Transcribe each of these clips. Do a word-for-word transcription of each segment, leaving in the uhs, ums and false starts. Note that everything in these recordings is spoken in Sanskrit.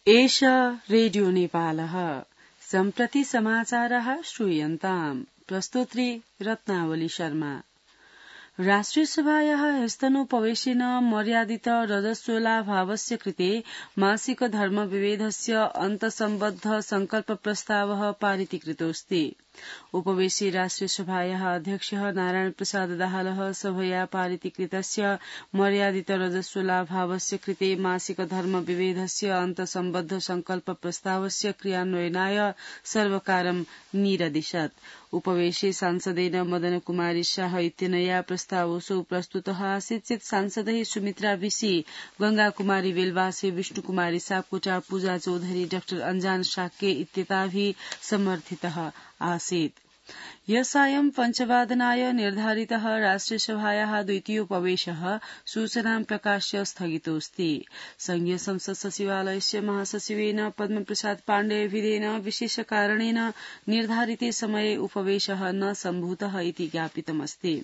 एष रेडियो नेपालः सम्प्रति समाचारः श्रूयन्ताम् प्रस्तोत्री रत्नावली शर्मा। राष्ट्रिय सभायाः ह्यस्तनोपवेशेन मर्यादित रजस्वलाभावस्य कृते मासिक धर्म विभेदस्य अन्तसम्बद्ध संकल्प प्रस्तावः पारितीकृतोऽस्ति। उपवेशे राष्ट्रिय सभायाः अध्यक्षः नारायण प्रसाद दाहालः सभया पारितीकृतस्य मर्यादित रजस्वलाभावस्य कृते मासिक धर्म विभेदस्य अन्तसम्बद्ध संकल्प प्रस्तावस्य क्रियान्वयनाय सर्वकारं निरदिशत्। उपवेशे सांसदेन मदन कुमारी शाह इत्यनया प्रस्तावोऽसौ प्रस्तुतः आसीत् चेत् सांसदैः सुमित्रा विशी, गंगा कुमारी बेलवासे, विष्णु कुमारी सापकोटा, पूजा चौधरी, डाक्टर अंजान शाक्य इत्येताभिः समर्थितः आसीत्। यसायं पञ्चवादनाय निर्धारितः राष्ट्रियसभायाः द्वितीयोपवेशः सूचनां प्रकाश्य स्थगितोऽस्ति। संघीय संसद सचिवालयस्य महासचिवेन पद्मप्रसाद पाण्डेयविधेन विशेषकारणेन निर्धारिते समये उपवेशः न सम्भूतः इति ज्ञापितमस्ति।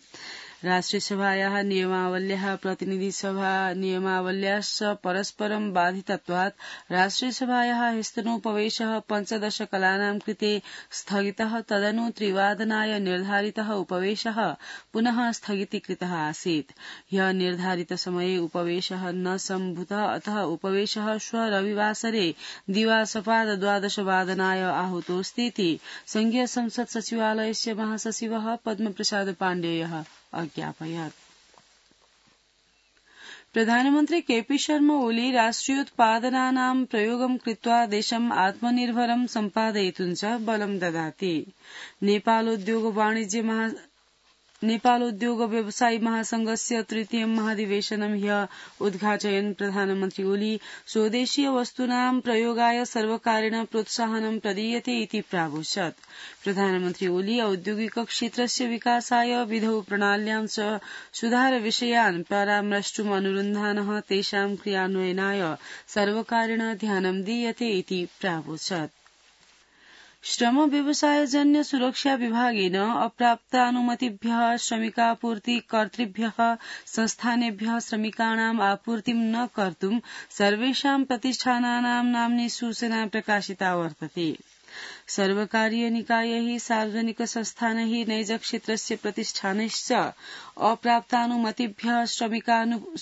राष्ट्रियसभायाः नियमावल्याः प्रतिनिधिसभा नियमावल्याश्च परस्परं बाधितत्वात् राष्ट्रियसभायाः ह्यस्तनोपवेशः पञ्चदशकलानां कृते स्थगितः। तदनु त्रिवादनाय निर्धारितः उपवेशः पुनः स्थगितीकृतः आसीत्। ह्यः निर्धारितसमये उपवेशः न सम्भूतः, अतः उपवेशः श्वः रविवासरे दिवासपाद द्वादशवादनाय आहूतोऽस्तीति संघीय संसद सचिवालयस्य महासचिवः पद्मप्रसाद पाण्डेयः अज्ञापयत्। प्रधानमन्त्री केपी शर्मा ओली राष्ट्रियोत्पादनानां प्रयोगं कृत्वा देशम् आत्मनिर्भरं सम्पादयितुं च बलं ददाति। नेपालोद्योग वाणिज्य महा नेपालोद्योग व्यवसायी महासंघस्य तृतीयं महाधिवेशनं ह्यः उद्घाटयन् प्रधानमन्त्री ओली स्वदेशीय वस्तूनां प्रयोगाय सर्वकारेण प्रोत्साहनं प्रदीयते इति प्रावोचत्। प्रधानमन्त्री ओली औद्योगिक क्षेत्रस्य विकासाय विधौ प्रणाल्यां च सुधारविषयान् परामर्ष्टुम् अनुरुन्धानः तेषां क्रियान्वयनाय सर्वकारेण ध्यानं दीयते इति प्रावोचत्। श्रम व्यवसायजन्य सुरक्षा विभागेन अप्राप्तानुमतिभ्यः श्रमिकापूर्तिकर्तृभ्यः संस्थानेभ्यः श्रमिकाणाम् आपूर्तिं न कर्तुं सर्वेषां प्रतिष्ठानानां नाम्नि सूचना प्रकाशिता वर्तते। सर्वकारीय निकायैः सार्वजनिक संस्थानैः नैजक्षेत्रस्य प्रतिष्ठानैश्च अप्राप्तानुमतिभ्यः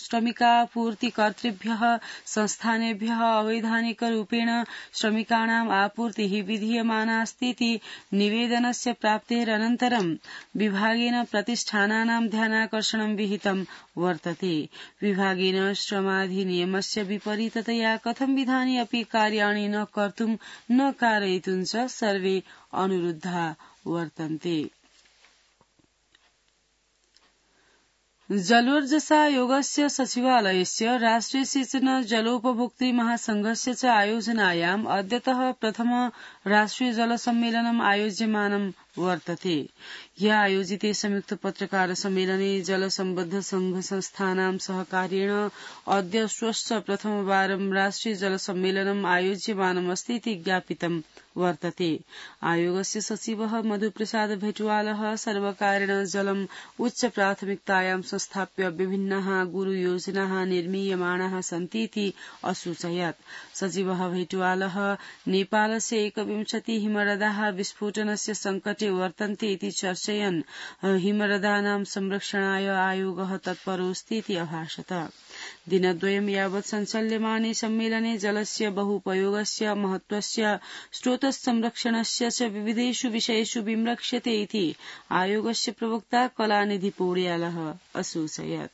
श्रमिकापूर्तिकर्तृभ्यः संस्थानेभ्यः अवैधानिकरूपेण श्रमिकाणाम् आपूर्तिः विधीयमानास्तीति निवेदनस्य प्राप्तेरनन्तरं विभागेन प्रतिष्ठानानां ध्यानाकर्षणं विहितं वर्तते। विभागेन श्रमाधिनियमस्य विपरीततया कथं विधानि अपि कार्याणि न कर्तुं न कारयितुं च सर्वे अनुरुद्धा वर्तन्ते। जलोर्जसायोगस्य सचिवालयस्य राष्ट्रिय सिंचन जलोपभोक्तृ महासंघस्य च आयोजनायाम् अद्यतः प्रथम राष्ट्रिय जल सम्मेलनम् आयोज्यमानं वर्तते। ह्यः आयोजिते संयुक्त पत्रकार सम्मेलने जल सम्बद्ध संघ संस्थानां सहकार्येण अद्य श्वश्च प्रथमवारं राष्ट्रिय जल सम्मेलनम् आयोज्यमानमस्ति इति ज्ञापितं वर्तते। आयोगस्य सचिवः मधुप्रसाद भेटवालः सर्वकारेण जलम् उच्च प्राथमिकतायां संस्थाप्य विभिन्नाः गुरुयोजनाः निर्मीयमाणाः सन्तीति असूचयत्। सचिवः भेटवालः नेपालस्य एकविंशति हिमरदाः विस्फोटनस्य संकटे वर्तन्ते इति चर्चयन् हिमरदानां संरक्षणाय आयोगः तत्परोऽस्तीति अभाषत। दिनद्वयं यावत् सञ्चाल्यमाने सम्मेलने जलस्य बहुपयोगस्य महत्त्वस्य स्रोतसंरक्षणस्य च विविधेषु विषयेषु विमृक्ष्यते इति आयोगस्य प्रवक्ता कलानिधि पौड्यालः असूचयत्।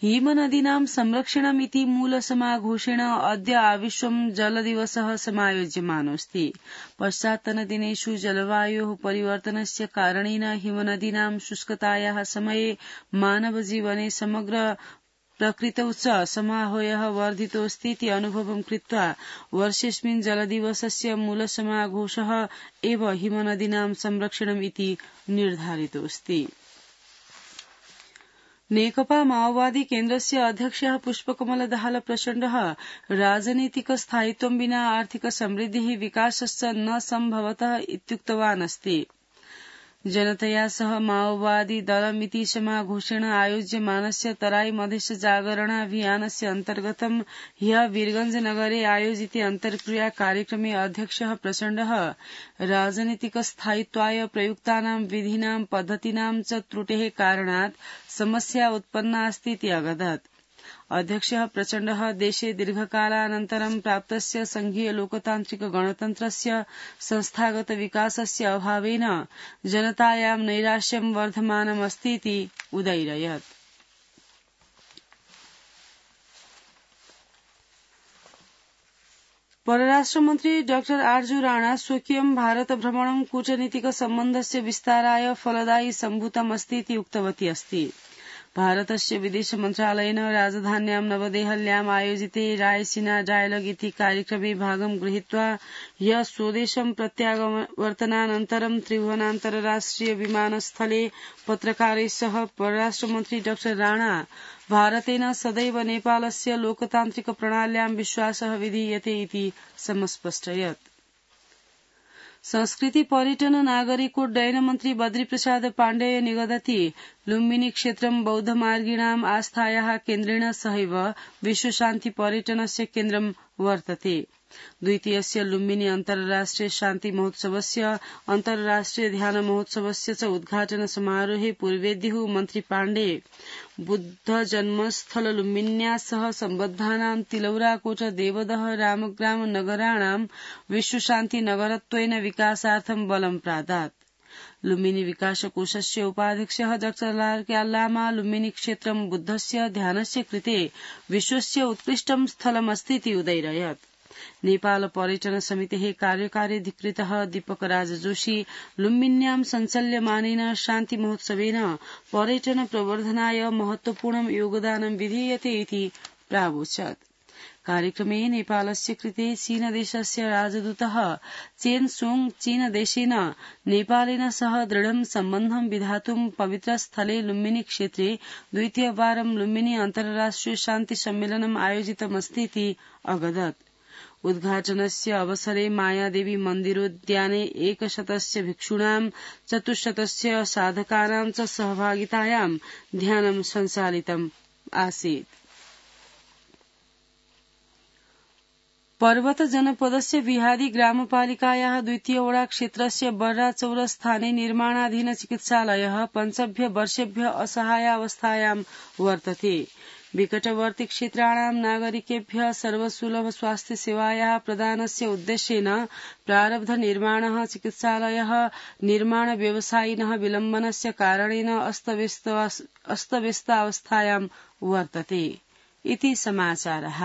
हिमनदीनां संरक्षणमिति मूलसमाघोषेण अद्य आविश्वं जलदिवसः समायोज्यमानोऽस्ति। पश्चात्तनदिनेषु जलवायोः परिवर्तनस्य कारणेन हिमनदीनां शुष्कतायाः समये मानवजीवने समग्र प्रकृतौ च समाहोयः वर्धितोऽस्तीति अनुभवं कृत्वा वर्षेऽस्मिन् जलदिवसस्य मूलसमाघोषः एव हिमनदीनां संरक्षणम् इति निर्धारितोऽस्ति। नेकपा माओवादी केन्द्रस्य अध्यक्षः पुष्पकमल दाहाल प्रचण्डः राजनीतिक स्थायित्वं विना आर्थिक समृद्धिः विकासश्च न सम्भवतः इत्युक्तवान् अस्ति। जनतया सह माओवादी दलमिति समाघोषेण आयोज्यमानस्य तराई मधेश जागरणाभियानस्य अन्तर्गतं ह्यः वीरगंज नगरे आयोजिते अन्तर्क्रिया कार्यक्रमे अध्यक्षः प्रचण्डः राजनीतिकस्थायित्वाय प्रयुक्तानां विधीनां पद्धतीनां च त्रुटेः कारणात् समस्या उत्पन्ना अस्ति इति अगदत्। अध्यक्षः प्रचण्डः देशे दीर्घकालानन्तरं प्राप्तस्य संघीय लोकतान्त्रिक गणतन्त्रस्य संस्थागत विकासस्य अभावेन जनतायां नैराश्यं वर्धमानमस्ति इति उदयिरयत्। परराष्ट्रमन्त्री डाक्टर आर्जू राणा स्वकीयं भारत भ्रमणं कूटनीतिक सम्बन्धस्य विस्ताराय फलदायी सम्भूतमस्ति इति उक्तवती अस्ति। भारतस्य विदेश मन्त्रालयेन राजधान्यां नवदेहल्याम् आयोजिते रायसीना डायलॉग इति कार्यक्रमे भागं गृहीत्वा ह्यः स्वदेशं प्रत्यावर्तनानन्तरं त्रिभुवनान्तरराष्ट्रिय विमानस्थले पत्रकारैः सह परराष्ट्रमन्त्री डाक्टर राणा भारतेन सदैव नेपालस्य लोकतान्त्रिक प्रणाल्यां विश्वासः विधीयते इति समस्पष्टयत्। संस्कृति पर्यटन नागरिकोड्डयन मन्त्री बद्रीप्रसाद पाण्डेय निगदति लुम्बिनी क्षेत्रं बौद्धमार्गिणाम् आस्थायाः केन्द्रेण सहैव विश्वशान्ति पर्यटनस्य केन्द्रं वर्तते। द्वितीयस्य लुम्बिनी अन्तर्राष्ट्रिय शान्ति महोत्सवस्य अन्तर्राष्ट्रिय ध्यान महोत्सवस्य च उद्घाटन समारोहे पूर्वेद्युः मन्त्री पाण्डे बुद्ध जन्मस्थल लुम्बिन्या सह सम्बद्धानां तिलौराकोट देवदह रामग्राम नगराणां विश्वशान्ति नगरत्वेन विकासार्थं बलं प्रादात्। लुम्बिनी विकासकोषस्य उपाध्यक्षः डाक्टर लामा लुम्बिनी क्षेत्रं बुद्धस्य ध्यानस्य कृते विश्वस्य उत्कृष्टं स्थलमस्ति इति उदयिरयत्। नेपाल पर्यटन समितेः कार्यकार्याधिकृतः दीपक राज जोशी लुम्बिन्यां सञ्चाल्यमानेन शान्ति महोत्सवेन पर्यटन प्रवर्धनाय महत्वपूर्णं योगदानं विधीयते इति प्रावोचत्। कार्यक्रमे नेपालस्य कृते चीनदेशस्य राजदूतः चेन सोंग चीनदेशेन नेपालेन सह दृढं सम्बन्धं विधातुं पवित्रस्थले लुम्बिनी क्षेत्रे द्वितीयवारं लुम्बिनी अन्तर्राष्ट्रिय शान्ति सम्मेलनम् आयोजितमस्ति इति अगदत्। उद्घाटनस्य अवसरे मायादेवी मन्दिरोद्याने एकशतस्य भिक्षूणां चतुश्शतस्य साधकानां च सहभागितायां ध्यानं सञ्चालितम् आसीत्। पर्वत जनपदस्य विहादी ग्रामपालिकायाः द्वितीय वडा क्षेत्रस्य बर्राचौर स्थाने निर्माणाधीन चिकित्सालयः पञ्चभ्य वर्षेभ्य असहायावस्थायां वर्तते। विकटवर्ती क्षेत्राणां नागरिकेभ्यः सर्वसुलभ स्वास्थ्य सेवायाः प्रदानस्य उद्देश्येन प्रारब्ध निर्माणः चिकित्सालयः निर्माण व्यवसायिनः विलम्बनस्य कारणेन अस्तव्यस्तावस्थायां वर्तते इति समाचारः।